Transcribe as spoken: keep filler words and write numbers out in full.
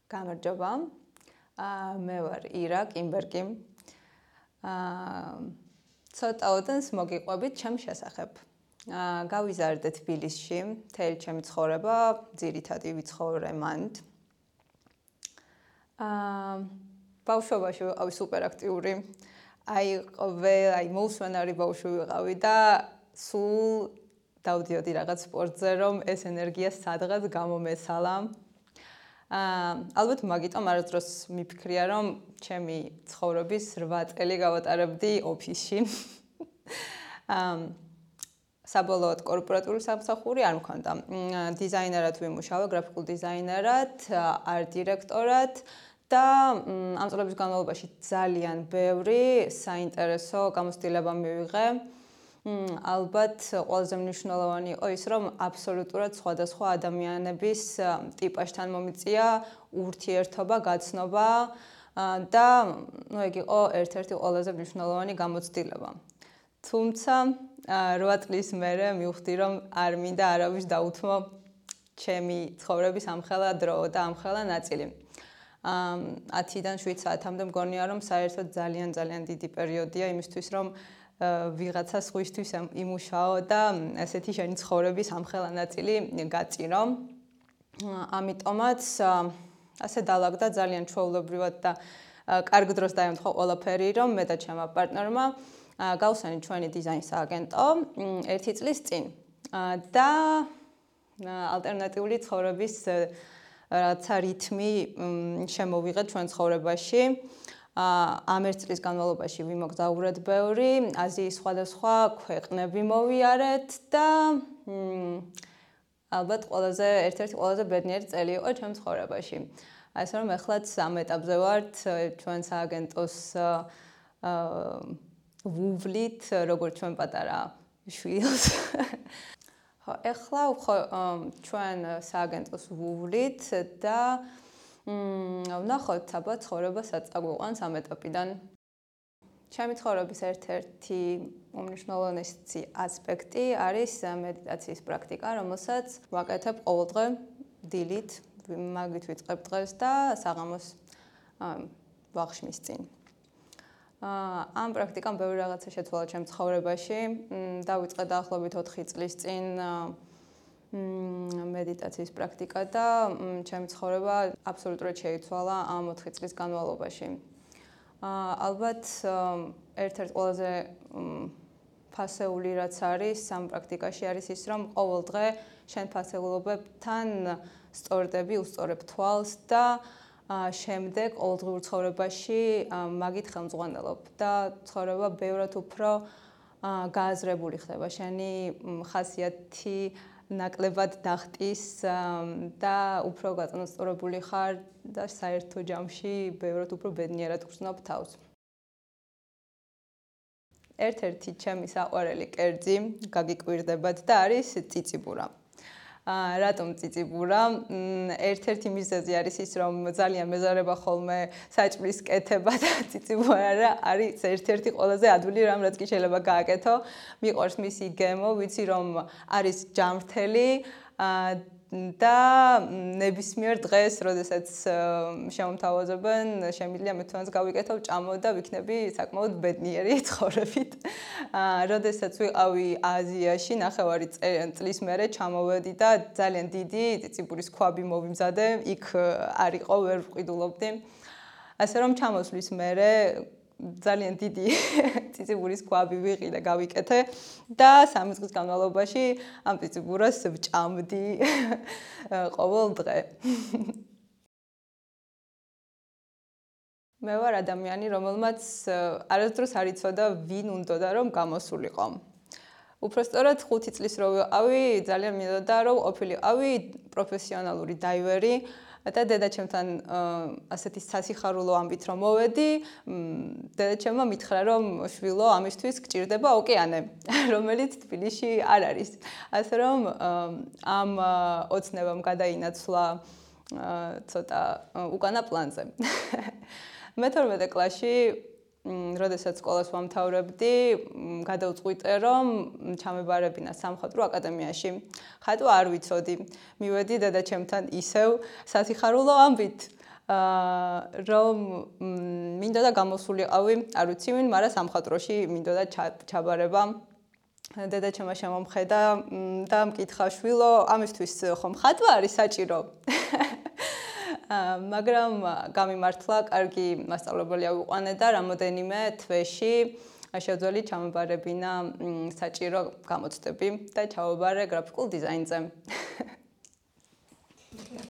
გამარჯობა. აა მე ვარ ირა კიმბერგი. აა ცოტა ოდენს მოგიყვებით ჩემ შესახებ. აა გავიზარდე თბილისში, მთელი ჩემი ცხოვრება, ძირითადად ვიცხოვრე მანდ. აა ბავშვობაში ვიყავი სუპერაქტიური. აი ყოველ აი მოუსვენარი ბავშვი ვიყავი და სულ დავდიოდი რაღაც სპორტზე, რომ ეს ენერგია სადღაც გამომესალა. აა ალბათ მაგიტომ არასდროს მიფიქრია, რომ ჩემი ცხოვრების რვა წელი გავატარებდი ოფისში. აა საბოლოოდ კორპორატული სამსახური არ მქონდა. დიზაინერად ვიმუშავა, გრაფიკულ დიზაინერად, არტ დირექტორად და ამ წლების განმავლობაში ძალიან ბევრი საინტერესო გამოცდილება მივიღე. ალბათ ყველაზე მნიშვნელოვანი იყო ის, რომ აბსოლუტურად სხვადასხვა ადამიანების ტიპажთან მომიწია ურთიერთობა, გაცნობა და ნუ ეგ იყო ერთ-ერთი ყველაზე მნიშვნელოვანი გამოცდილება. თუმცა რვა წლის მერე მივხვდი, რომ არ მინდა არავის დაუთმო ჩემი ცხოვრების ამხელა დრო და ამხელა ნაწილი. ათიდან შვიდ საათამდე მგონია, რომ საერთოდ ძალიან ძალიან დიდი პერიოდია იმისთვის, რომ ვიღაცა სხვისთვის იმუშაო და ესეთი შენი ცხოვრების ამხელა ნაწილი გაწირო. ამიტომაც ასე დაალაგდა ძალიან ჩვეულებრივად და კარგ დროს დაემთხვა ყველაფერი, რომ მე და ჩემმა პარტნიორმა გავსვენით ჩვენი დიზაინის სააგენტო ერთი წლის წინ. და ალტერნატიული ცხოვრების რაღაცა რითმი შემოვიღეთ ჩვენ ცხოვრებაში. ამ ერთ წლის განმავლობაში ვიმოგზაურეთ ბევრი, აზიის სხვადასხვა ქვეყნები მოვიარეთ და ალბათ ყველაზე ერთ-ერთი ყველაზე ბედნიერი წელი იყო ჩემ ცხოვრებაში. ასე რომ ეხლაც ამ ეტაპზე ვართ ჩვენ სააგენტოს ვუვლით, როგორც ჩვენ პატარა შვილს. ხო, ეხლა ჩვენ სააგენტოს ვუვლით და ვნახოთ, აბა ცხოვრება სად წაგვიყვანს ამ ეტაპიდან. ჩემი ცხოვრების ერთ-ერთი უმნიშვნელოვანესი ასპექტი არის მედიტაციის პრაქტიკა, რომელსაც ვაკეთებ ყოველდღე დილით, მაგით ვიწყებ დღეს და საღამოს ვახშმის წინ. ამ პრაქტიკამ ბევრი რაღაცა შეცვალა ჩემ ცხოვრებაში. დავიწყე დაახლოებით ოთხი წლის წინ მედიტაციის პრაქტიკა და ჩემი ცხოვრება აბსოლუტურად შეიცვალა ამ ოთხი წლის განმავლობაში. ალბათ ერთ-ერთი ყველაზე ფასეული რაც არის ამ პრაქტიკაში არის ის, რომ ყოველდღე შენ ფასეულობებთან სწორდები, უსწორებ თვალს და შემდეგ ყოველდღიურ ცხოვრებაში მაგით ხელმძღვანელობ და ცხოვრება ბევრად უფრო გააზრებული ხდება. შენი ხასიათი ნაკლებად დახტის და უფრო გაწონასწორებული ხარ და საერთო ჯამში ბევრად უფრო ბედნიერად გრძნობ თავს. ერთ-ერთი ჩემი საყვარელი კერძი გაგიკვირდებათ და არის ციციბურა. რატომ ციციბურა? ერთ-ერთი მიზეზი არის ის, რომ ძალიან მეზარება ხოლმე საჭმლის კეთება და ციციბურა არის ერთ-ერთი ყველაზე ადვილი რამ, რაც კი შეიძლება გააკეთო. მიყვარს მისი გემო, ვიცი რომ არის ჯანმრთელი და ნებისმიერ დღეს, როდესაც შემომთავაზებენ, შემიძლია მე თვითონაც გავიკეთო, ჭამო და ვიქნები საკმაოდ ბედნიერი ცხოვრებით. როდესაც ვიყავი აზიაში, ნახევარი წლის მერე ჩამოვედი და ძალიან დიდი ციციბურის ქვაბი მოვიმზადე, იქ არ იყო, ვერ ვყიდულობდი. ასე რომ ჩამოსვლის მერე ძალიან დიდი ციციბურის ქვაბი ვიღი და გავიკეთე და სამი წლის განმავლობაში ამ ციციბურას ვჭამდი ყოველ დღე. მე ვარ ადამიანი, რომელმაც არასდროს არ იცოდა ვინ უნდოდა რომ გამოსულიყო. უпростоრად ხუთი წლის რო ვიყავი, ძალიან მინდოდა რომ ყოფილიყავი პროფესიონალური დაივერი. და დედაჩემთან ასეთი სასიხარულო ამბით რომ მოვედი, დედაჩემმა მითხრა რომ შვილო ამისთვის გჭირდება ოკეანე, რომელიც თბილისში არ არის. ასე რომ ამ ოცნებამ გადაინაცვლა ცოტა უკანა პლანზე. მეთორმეტე კლასში როდესაც სკოლას ვამთავრებდი, გადავწყვიტე, რომ ჩამებარებინა სამხატვრო აკადემიაში. ხატვა არ ვიცოდი. მივედი დედაჩემთან ისევ სასიხარულო ამბით. აა რომ მინდოდა გამოსულიყავი, არ ვიცი ვინ, მაგრამ სამხატვროში მინდოდა ჩაბარება. დედაჩემმა შემომხედა და მკითხა შვილო, ამისთვის ხომ ხატვა არის საჭირო? მაგრამ გამიმართლა, კარგი მასწავლებელი ავიყვანე და რამოდენიმე თვეში შეძლო ჩამებარებინა საჭირო გამოცდები და ჩავაბარე გრაფიკულ დიზაინზე.